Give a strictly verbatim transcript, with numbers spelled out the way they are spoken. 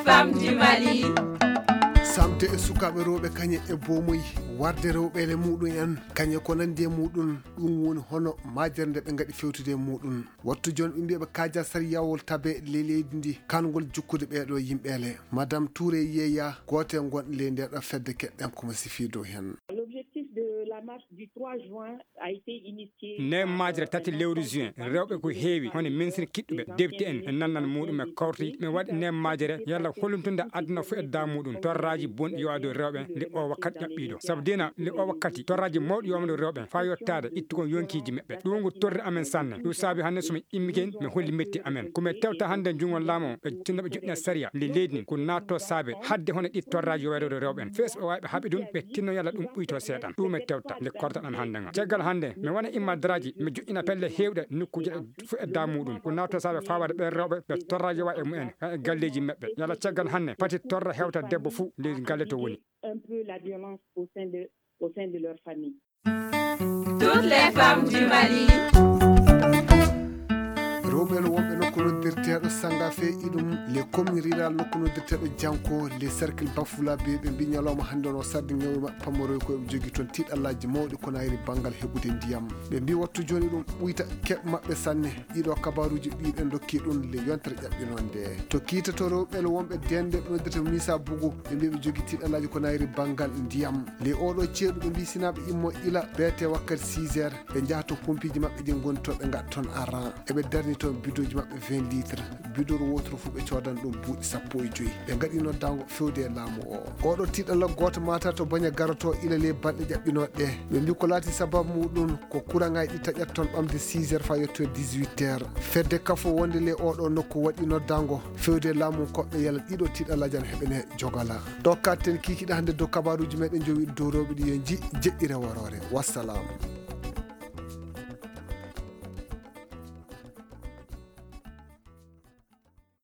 Femme du Mali. Samte e sukaaɓe rewɓe kañe e boomoy warde rewɓeele muɗum en kañe ko nandi e muɗum. Ɗum woni hono majere nde ɓe ngaɗi fewtude e muɗum. Wattu jooni ɓe mbiya ɓe kaaja sariyawol tabe ley leydi ndi kangol jukkude ɓeeɗo yimɓeele. Madame Touré Yeya goote ngon ley nde ɗo fedde keɗɗen komo sifi dow hen. L'objectif de la marche du trois juin a été initié. Neem majere tati lewru juin rewɓe ko heewi hono ministre kiɗɗuɓe depte en e nannan muɗum e korti ɓe waɗi neem majere yalla holluntude aduna fof e da muɗum torraji bonɗi yo ado rewɓe nde o wakkati ƴaɓɓiɗo sabu dina nde o wakkati torraji mawɗi yomado rewɓe fa yottade ittugo yonkiji maɓɓe ɗum ko torri amen sanne ɗum saabi hannde somi immigen mi holli metti amen komi tewta hannde jungo laamu e tinnoɓe joɗɗina sariya nde leydi ndi ko natto saabe hadde hono ɗi torraji yo waɗoɗo rewɓe en fees ɓe wawi ɓe haɓi ɗum ɓe tinno yalla ɗum ɓuyto seeɗan ɗum e tewta nde kortaɗan hannde nga caggal hannde mi wona imma daraji mi joƴƴina pelle hewɗe nokkuji fof e da muɗum ko natto saabe fawade ɓen rewɓe ɓe torraji wa e mumen e galleji maɓɓe yalla caggal hannde pati torra hewta debbo fuu leydi galle to woni un peu la violence au sein de, au sein de leur famille. Toutes les femmes du Mali. Rewɓe no wonɓe nokku noddirteeɗo sangafe iɗum les communes rurales nokku noddirteeɗo janko les cercle bafula be ɓe mbi ñalawma hannde no sarde ngewma pammaroy ko eɓe jogi toon tiiɗallaaji mawɗi ko nayri banngal heɓude ndiyam ɓe mbi wattu jooni ɗum ɓuyta keɓ maɓɓe sanne ɗiɗo kabaruuji ɗi ɓe dokki ɗum le yontere ƴaɓɓinonde to kiita to rewɓe wonɓe dende ɓe noddata misa bugu ɓe mbi ɓe jogi tiiɗallaaji ko nayri banngal ndiyam le oɗo ceeɗu ɓe mbi sinaɓe immo ila beete wakkati six heures ɓe njaha to pompiji maɓɓe ɗi ngoni to ɓe ngaɗa toon aran eɓe darni toon bidoji maɓɓe vingt litres bidor wotoro fof ɓe codan ɗum buuɗi sappo e joyi ɓe ngaɗi noddago fewde e laamu o oɗo tiɗalla goto mata to baña garoto ila ley balɗe ƴaɓɓinoɗe ɓe mbi ko laati sababu muɗum ko courant ngaji ɗi taƴat toon ɓamde six heures fa yetto dix-huit heures fedde kafo wonde ley oɗo nokku waɗi noddago fewde e laamu koɓɓe yala ɗiɗo tiɗallaji an heɓene jogala ɗo katten kikiɗa hande dow kabaruji meɗen jowiɗo dow rewɓe ɗi yo ji jeɗɗire worore wassalam